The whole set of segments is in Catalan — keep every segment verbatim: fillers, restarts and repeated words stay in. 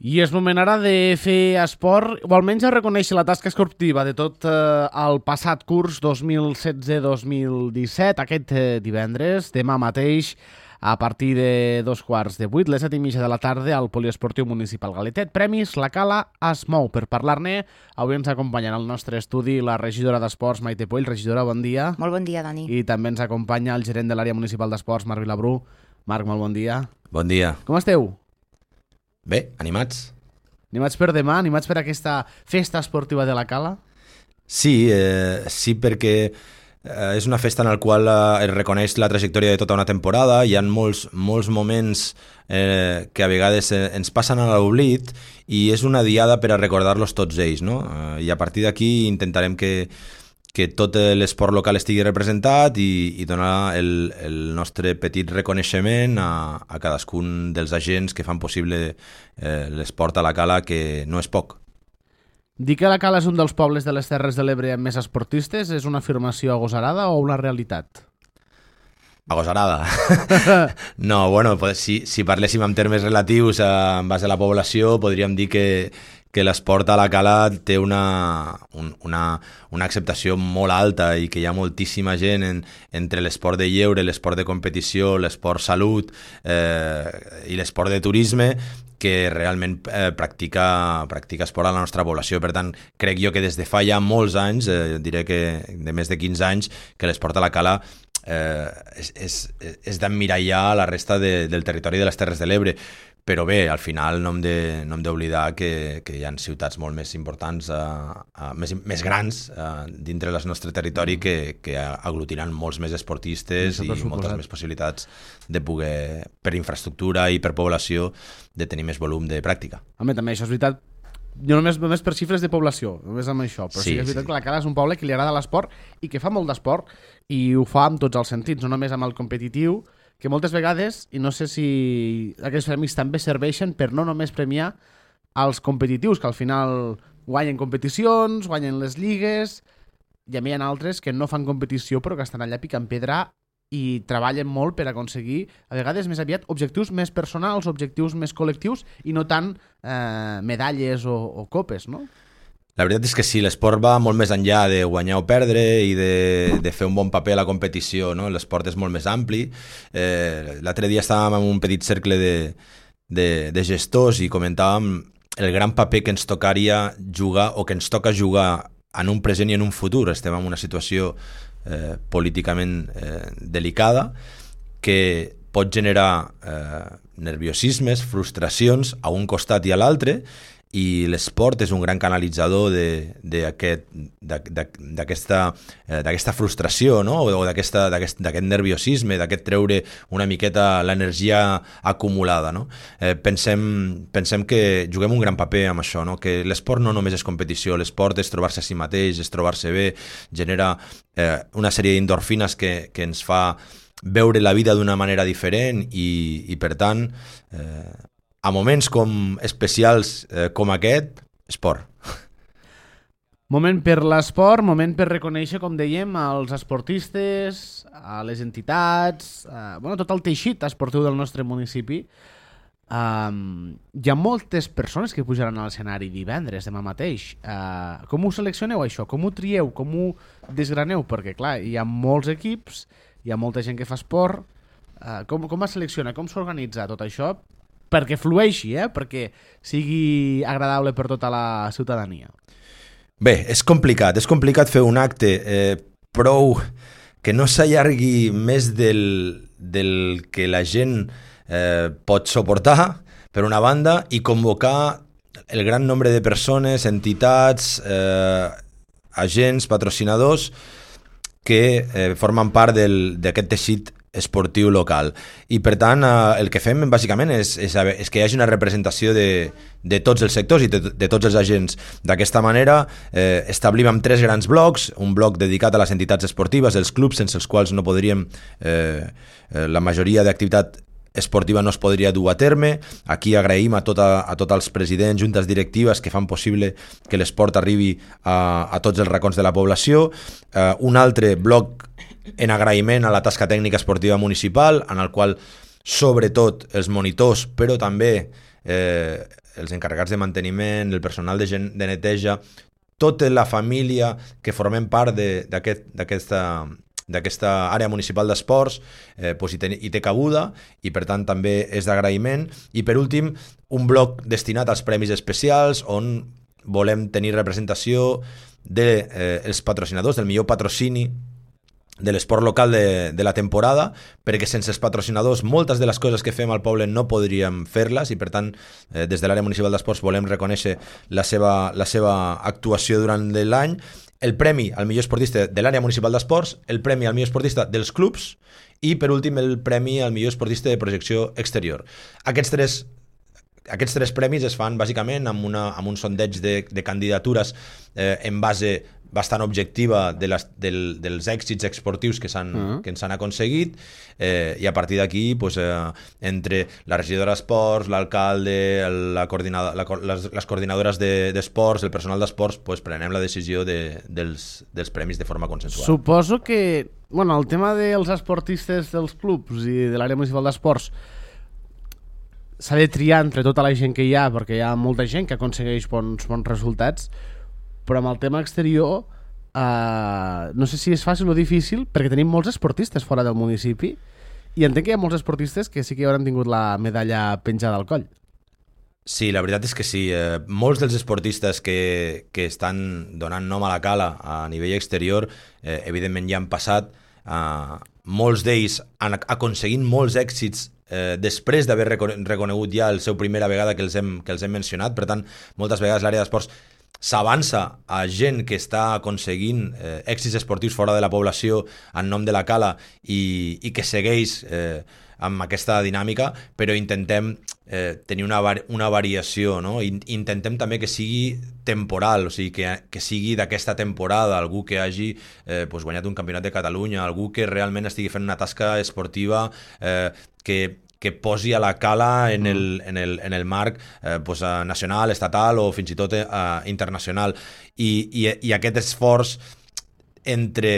I és moment ara de fer esport, o almenys a reconèixer la tasca esportiva de tot eh, el passat curs dos mil setze dos mil disset, aquest eh, divendres, demà mateix, a partir de dos quarts de vuit, les set i mitja de la tarda, al Poliesportiu Municipal Galetet. Premis La Cala es mou. Per parlar-ne, avui ens acompanya al nostre estudi la regidora d'Esports, Maite Puell. Regidora, bon dia. Molt bon dia, Dani. I també ens acompanya el gerent de l'àrea municipal d'Esports, Marc Vilabrú. Marc, molt bon dia. Bon dia. Com esteu? Bé, animats? Animats per demà? Animats per aquesta festa esportiva de la Cala? Sí, eh, sí perquè eh, és una festa en la qual eh, es reconeix la trajectòria de tota una temporada. Hi ha molts, molts moments eh, que a vegades eh, ens passen a l'oblit i és una diada per a recordar-los tots ells, no? Eh, I a partir d'aquí intentarem que que tot l'esport local estigui representat i, i donar el, el nostre petit reconeixement a, a cadascun dels agents que fan possible eh, l'esport a la Cala, que no és poc. Dir que la Cala és un dels pobles de les Terres de l'Ebre amb més esportistes és una afirmació agosarada o una realitat? Agosarada. No, bueno, pues, si, si parléssim en termes relatius a, en base a la població, podríem dir que que l'esport a la Cala té una, un, una, una acceptació molt alta i que hi ha moltíssima gent en, entre l'esport de lleure, l'esport de competició, l'esport salut eh, i l'esport de turisme que realment eh, practica, practica esport a la nostra població. Per tant, crec jo que des de fa ja molts anys, eh, diré que de més de quinze anys, que l'esport a la Cala eh, és, és, és d'emmirallar la resta de, del territori de les Terres de l'Ebre. Però bé, al final no hem de, no hem d'oblidar que, que hi ha ciutats molt més importants, uh, uh, més, més grans uh, dintre del nostre territori que, que aglutiran molts més esportistes i moltes més possibilitats de poder, per infraestructura i per població, de tenir més volum de pràctica. Home, també això és veritat. Jo només, només per xifres de població, només amb això, però sí, sí que és veritat sí. Que la Cala és un poble que li agrada l'esport i que fa molt d'esport i ho fa en tots els sentits, no només amb el competitiu, que moltes vegades, i no sé si aquests premis també serveixen per no només premiar els competitius, que al final guanyen competicions, guanyen les lligues, i a mi hi ha altres que no fan competició però que estan allà picant pedra i treballen molt per aconseguir, a vegades més aviat, objectius més personals, objectius més col·lectius i no tant eh, medalles o, o copes, no? La veritat és que sí, l'esport va molt més enllà de guanyar o perdre i de, de fer un bon paper a la competició, no? L'esport és molt més ampli. Eh, l'altre dia estàvem en un petit cercle de, de, de gestors i comentàvem el gran paper que ens tocaria jugar o que ens toca jugar en un present i en un futur. Estem en una situació eh, políticament eh, delicada que pot generar eh, nerviosismes, frustracions a un costat i a l'altre, i l'esport és un gran canalitzador d'aquesta eh, frustració, no? o d'aquest nerviosisme, d'aquest treure una miqueta l'energia acumulada. No? Eh, pensem, pensem que juguem un gran paper amb això, no? Que l'esport no només és competició, l'esport és trobar-se a si mateix, és trobar-se bé, genera eh, una sèrie d'endorfines que, que ens fa veure la vida d'una manera diferent i, i per tant... Eh, a moments com especials eh, com aquest, esport. Moment per l'esport, moment per reconèixer, com dèiem, als esportistes, a les entitats, a, bueno, tot el teixit esportiu del nostre municipi. Um, hi ha moltes persones que pujaran a l'escenari divendres, demà mateix. Uh, com ho seleccioneu, això? Com ho trieu? Com ho desgraneu? Perquè, clar, hi ha molts equips, hi ha molta gent que fa esport. Uh, com, com es selecciona? Com s'organitza tot això? Perquè flueixi, eh? Perquè sigui agradable per tota la ciutadania. Bé, és complicat, és complicat fer un acte eh, prou que no s'allargui més del, del que la gent eh, pot suportar, per una banda, i convocar el gran nombre de persones, entitats, eh, agents, patrocinadors, que eh, formen part d'aquest teixit esportiu local. I per tant eh, el que fem bàsicament és, és, és que hi hagi una representació de, de tots els sectors i de, de tots els agents. D'aquesta manera eh, establim amb tres grans blocs, un bloc dedicat a les entitats esportives, els clubs sense els quals no podríem eh, eh, la majoria d'activitat esportiva no es podria dur a terme. Aquí agraïm a, tota, a tots els presidents, juntes directives que fan possible que l'esport arribi a, a tots els racons de la població. Uh, un altre bloc en agraïment a la tasca tècnica esportiva municipal, en el qual sobretot els monitors, però també eh, els encarregats de manteniment, el personal de, gen, de neteja, tota la família que formem part d'aquesta d'aquesta àrea municipal d'esports, eh, pues hi, ten, hi té cabuda i per tant també és d'agraïment. I per últim, un bloc destinat als premis especials on volem tenir representació dels de, eh, patrocinadors, del millor patrocini de l'esport local de, de la temporada, perquè sense els patrocinadors moltes de les coses que fem al poble no podríem fer-les i per tant eh, des de l'àrea municipal d'esports volem reconèixer la seva, la seva actuació durant l'any, el premi al millor esportista de l'àrea municipal d'esports, el premi al millor esportista dels clubs i per últim el premi al millor esportista de projecció exterior. Aquests tres Aquests tres premis es fan bàsicament amb, una, amb un sondeig de, de candidatures eh, en base bastant objectiva de les, del, dels èxits esportius que, s'han, uh-huh. que ens han aconseguit eh, i a partir d'aquí pues, eh, entre la regidora d'esports, l'alcalde, la coordinada, la, les, les coordinadores d'esports, de, el personal d'esports, pues, prenem la decisió de, dels, dels premis de forma consensuada. Suposo que bueno, el tema dels esportistes dels clubs i de l'àrea municipal d'esports s'ha de triar entre tota la gent que hi ha, perquè hi ha molta gent que aconsegueix bons, bons resultats, però amb el tema exterior eh, no sé si és fàcil o difícil, perquè tenim molts esportistes fora del municipi i entenc que hi ha molts esportistes que sí que hauran tingut la medalla penjada al coll. Sí, la veritat és que sí. Eh, molts dels esportistes que, que estan donant nom a la cala a nivell exterior, eh, evidentment ja han passat, eh, molts d'ells han aconseguit molts èxits Eh, després d'haver reconegut ja el seu primera vegada que els hem, que els hem mencionat. Per tant, moltes vegades l'àrea d'esports s'avança a gent que està aconseguint eh, èxits esportius fora de la població en nom de la cala i, i que segueix eh, amb aquesta dinàmica, però intentem eh, tenir una, una variació, no? I, intentem també que sigui temporal, o sigui, que, que sigui d'aquesta temporada, algú que hagi eh, pues, guanyat un campionat de Catalunya, algú que realment estigui fent una tasca esportiva eh, que, que posi a la cala en el, en el, en el marc eh, pues, nacional, estatal o fins i tot eh, internacional. I, i, i aquest esforç entre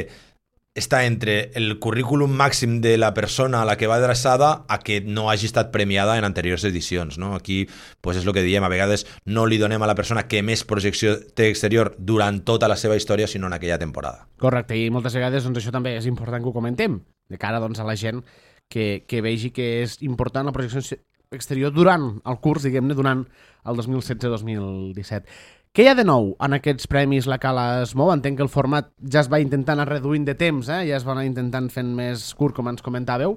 està entre el currículum màxim de la persona a la que va adreçada a que no hagi estat premiada en anteriors edicions, no? Aquí pues, és el que diem, a vegades no li donem a la persona que més projecció té exterior durant tota la seva història, sinó en aquella temporada. Correcte, i moltes vegades doncs, això també és important que ho comentem, de cara doncs, a la gent que, que vegi que és important la projecció exterior durant el curs, diguem-ne, durant el dos mil setze dos mil disset. Què hi ha de nou en aquests premis La Cala es mou? Entenc que el format ja es va intentant anar reduint de temps, eh? Ja es va anar intentant fent més curt, com ens comentàveu,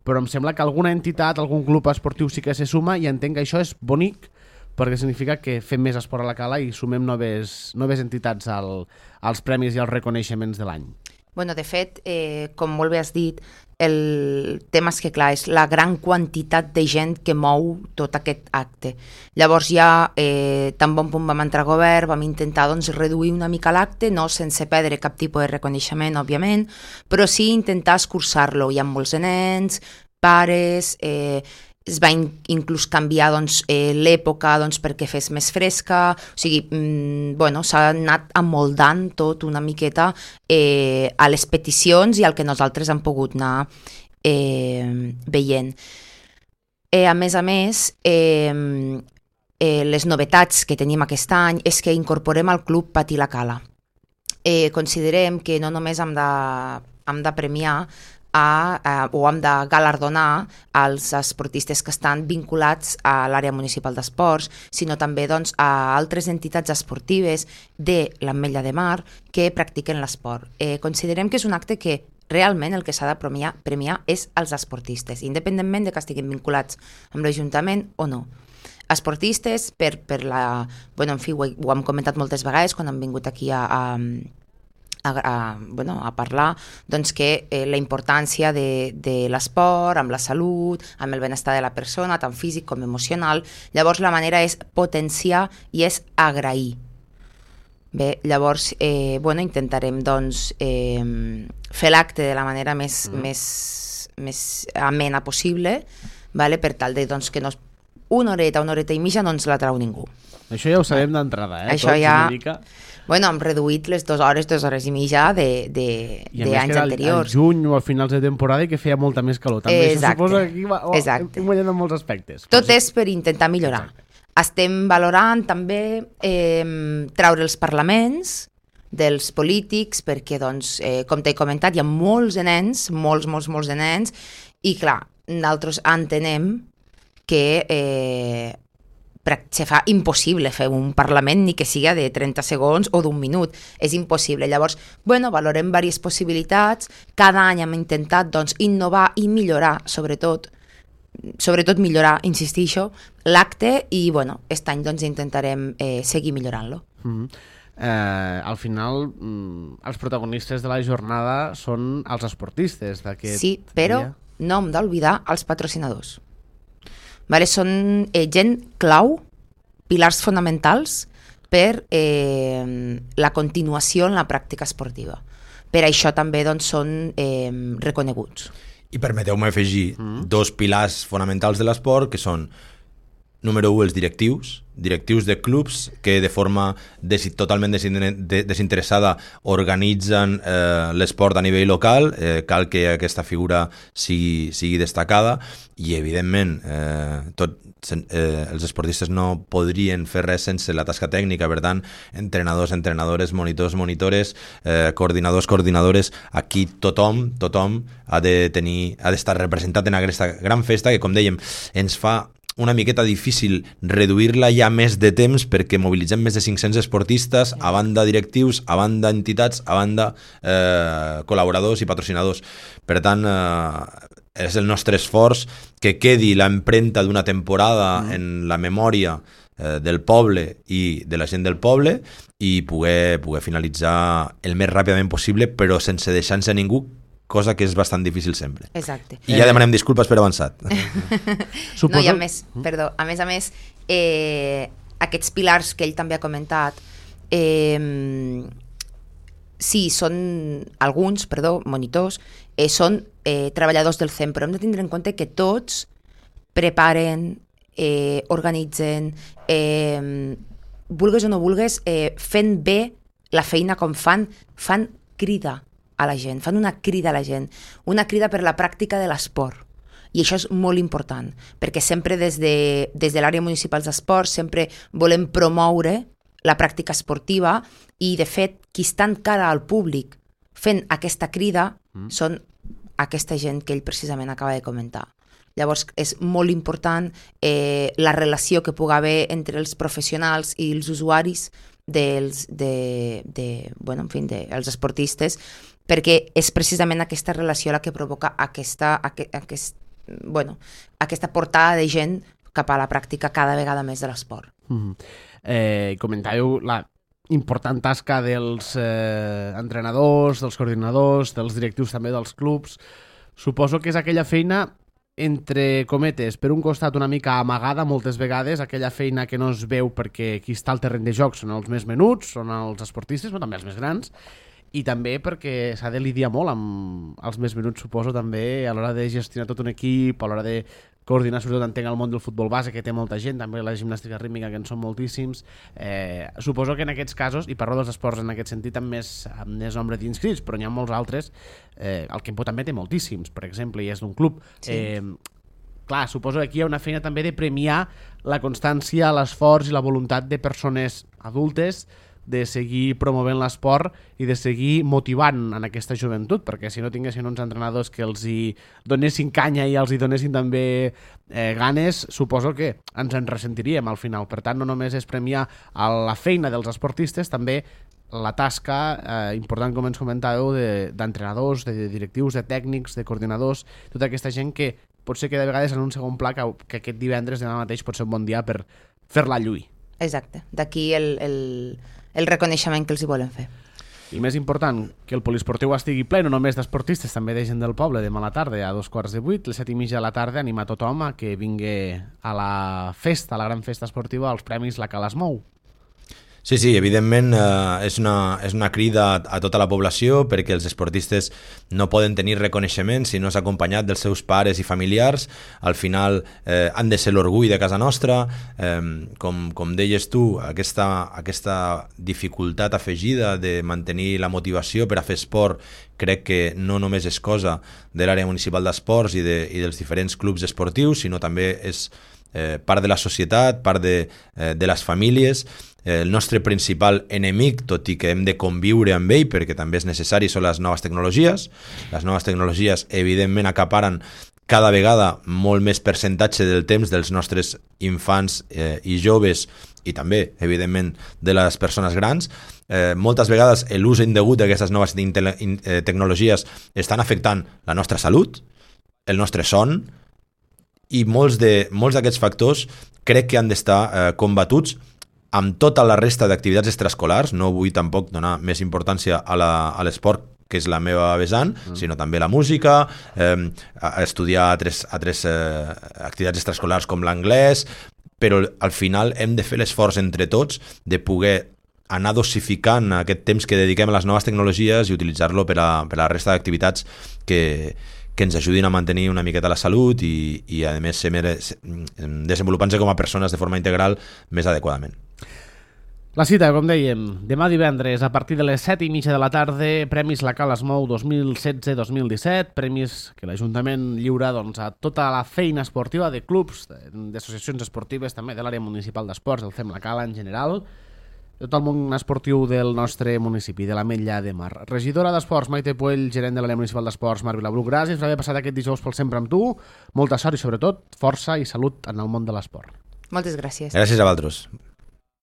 però em sembla que alguna entitat, algun club esportiu sí que se suma i entenc que això és bonic perquè significa que fem més esport a La Cala i sumem noves, noves entitats al, als premis i als reconeixements de l'any. Bueno, de fet, eh, com molt bé has dit, el tema és que, clar, és la gran quantitat de gent que mou tot aquest acte. Llavors ja, eh, tan bon punt vam entrar a govern, vam intentar doncs, reduir una mica l'acte, no sense perdre cap tipus de reconeixement, òbviament, però sí intentar escurçar-lo. Hi ha molts nens, pares... Eh, es va in inclús canviar doncs, eh, l'època doncs, perquè fes més fresca, o sigui, mm, bueno, s'ha anat amoldant tot una miqueta eh, a les peticions i al que nosaltres hem pogut anar eh, veient. Eh, a més a més, eh, eh, les novetats que tenim aquest any és que incorporem al club Patir la Cala. Eh, considerem que no només hem de, hem de premiar A, a, o hem de galardonar als esportistes que estan vinculats a l'àrea municipal d'esports, sinó també doncs, a altres entitats esportives de l'Ametlla de Mar que practiquen l'esport. Eh, considerem que és un acte que realment el que s'ha de premiar, premiar és els esportistes, independentment de que estiguin vinculats amb l'Ajuntament o no. Esportistes, per, per la... Bueno, en fi, ho, ho hem comentat moltes vegades quan hem vingut aquí a... a A, a, bueno, a parlar doncs, que eh, la importància de, de l'esport, amb la salut, amb el benestar de la persona, tant físic com emocional. Llavors la manera és potenciar i és agrair. Bé, llavors eh, bueno, intentarem doncs, eh, fer l'acte de la manera més, mm. més, més amena possible, vale? Per tal de doncs, que no, una horeta, una horeta i mitja no ens la trau ningú. Això ja ho sabem d'entrada, eh? Això Tots ja... Mica... Bueno, hem reduït les dues hores, dues hores i mitja de, de, I de anys anteriors. I a més que era al juny o a finals de temporada i que feia molta més calor. També exacte, això suposa que aquí va, oh, exacte. hem guanyat en molts aspectes. Tot és per intentar millorar. Exacte. Estem valorant també eh, treure els parlaments dels polítics perquè, doncs, eh, com t'he comentat, hi ha molts de nens, molts, molts, molts de nens, i clar, nosaltres entenem que eh, se fa impossible fer un Parlament ni que siga de trenta segons o d'un minut, és impossible. Llavors, bueno, valorem diverses possibilitats, cada any hem intentat, doncs, innovar i millorar, sobretot, sobretot millorar, insistixo, l'acte i, bueno, aquest any doncs intentarem eh, seguir millorant-lo. Mm-hmm. eh, al final, mm, els protagonistes de la jornada són els esportistes d'aquest Sí, però dia. no hem d'oblidar els patrocinadors. Vale? Són eh, gent clau, pilars fonamentals per eh, la continuació en la pràctica esportiva. Per això també doncs, són eh, reconeguts. I permeteu-me afegir mm. dos pilars fonamentals de l'esport, que són, número u, els directius, directius de clubs que de forma des totalment desinteressada organitzen eh, l'esport a nivell local. Eh, cal que aquesta figura sigui, sigui destacada i, evidentment, eh, tot, eh, els esportistes no podrien fer res sense la tasca tècnica. Per tant, entrenadors, entrenadores, monitors, monitores, eh, coordinadors, coordinadores, aquí tothom, tothom ha de tenir, ha d'estar representat en aquesta gran festa que, com dèiem, ens fa una miqueta difícil reduir-la ja més de temps perquè mobilitzem més de cinc-cents esportistes, a banda directius, a banda entitats, a banda eh, col·laboradors i patrocinadors. Per tant, eh, és el nostre esforç que quedi l'empremta d'una temporada mm. en la memòria eh, del poble i de la gent del poble i poder, poder finalitzar el més ràpidament possible, però sense deixar-se ningú, cosa que és bastant difícil sempre. Exacte. I ja demanem disculpes per avançat. Suposo... No, i a més, perdó, a més a més, eh, aquests pilars que ell també ha comentat, eh, sí, són alguns, perdó, monitors, eh, són eh, treballadors del C E M, però hem de tindre en compte que tots preparen, eh, organitzen, eh, vulgues o no vulgues, eh, fent bé la feina com fan, fan crida a la gent, fan una crida a la gent, una crida per la pràctica de l'esport. I això és molt important, perquè sempre des de, des de l'àrea municipal d'esport sempre volem promoure la pràctica esportiva i, de fet, qui està encara al públic fent aquesta crida mm. són aquesta gent que ell precisament acaba de comentar. Llavors, és molt important eh, la relació que pugui haver entre els professionals i els usuaris dels, de, de, bueno, en fi, de, els esportistes, perquè és precisament aquesta relació la que provoca aquesta, aquest, aquest, bueno, aquesta portada de gent cap a la pràctica cada vegada més de l'esport. Mm-hmm. eh, comentàveu la important tasca dels eh, entrenadors, dels coordinadors, dels directius també dels clubs. Suposo que és aquella feina, entre cometes, per un costat una mica amagada moltes vegades, aquella feina que no es veu perquè qui està al terreny de joc són els més menuts, són els esportistes, però també els més grans, i també perquè s'ha de lidiar molt amb els més menuts, suposo, també a l'hora de gestionar tot un equip, a l'hora de coordinar, sobretot entenc el món del futbol base, que té molta gent, també la gimnàstica rítmica, que en són moltíssims. Eh, suposo que en aquests casos, i parlo dels esports en aquest sentit amb més, amb més nombre d'inscrits, però n'hi ha molts altres, eh, el Quimpo també té moltíssims, per exemple, i és d'un club. Sí. Eh, clar, suposo que aquí hi ha una feina també de premiar la constància, l'esforç i la voluntat de persones adultes de seguir promovent l'esport i de seguir motivant en aquesta joventut, perquè si no tinguessin uns entrenadors que els hi donessin canya i els hi donessin també eh, ganes, suposo que ens en ressentiríem al final. Per tant, no només és premiar a la feina dels esportistes, també la tasca eh, important, com ens comentàveu, d'entrenadors, de, de directius, de tècnics, de coordinadors, tota aquesta gent que potser queda de vegades en un segon pla, que, que aquest divendres demà mateix pot ser un bon dia per fer-la lluir. Exacte, d'aquí el... el... el reconeixement que els hi volen fer. I més important, que el poliesportiu estigui ple, no només d'esportistes, també de gent del poble, demà a la tarda, a dos quarts de vuit, les set i mitja de la tarda, anima tothom a que vingui a la festa, a la gran festa esportiva, als premis La Cala es Mou. Sí, sí, evidentment eh, és, una, és una crida a tota la població perquè els esportistes no poden tenir reconeixement si no és acompanyat dels seus pares i familiars. Al final eh, han de ser l'orgull de casa nostra. Eh, com, com deies tu, aquesta, aquesta dificultat afegida de mantenir la motivació per a fer esport crec que no només és cosa de l'àrea municipal d'esports i, de, i dels diferents clubs esportius, sinó també és eh, part de la societat, part de, eh, de les famílies. Eh, el nostre principal enemic, tot i que hem de conviure amb ell, perquè també és necessari, són les noves tecnologies. Les noves tecnologies, evidentment, acaparen cada vegada molt més percentatge del temps dels nostres infants eh, i joves, i també, evidentment, de les persones grans. Eh, moltes vegades l'ús indegut d'aquestes noves tecnologies estan afectant la nostra salut, el nostre son, i molts de, molts d'aquests factors crec que han d'estar eh, combatuts amb tota la resta d'activitats extraescolars. No vull tampoc donar més importància a l'esport, que és la meva vessant, mm. sinó també la música, eh, estudiar altres, altres eh, activitats extraescolars com l'anglès, però al final hem de fer l'esforç entre tots de poder anar dosificant aquest temps que dediquem a les noves tecnologies i utilitzar-lo per a, per a la resta d'activitats que, que ens ajudin a mantenir una miqueta la salut i, i a més, ser, desenvolupant-se com a persones de forma integral més adequadament. La cita, com dèiem, demà divendres a partir de les set i mitja de la tarda, Premis La Cala es mou dos mil setze dos mil disset, premis que l'Ajuntament lliura doncs, a tota la feina esportiva de clubs, d'associacions esportives, també de l'àrea municipal d'esports, del Fem La Cala en general, de tot el món esportiu del nostre municipi, de l'Ametlla de Mar. Regidora d'Esports, Maite Puell, gerent de l'àrea municipal d'esports, Marc Vilabruc, gràcies per haver passat aquest dijous pel Sempre amb tu, molta sort i sobretot força i salut en el món de l'esport. Moltes gràcies. Gràcies a vosaltres.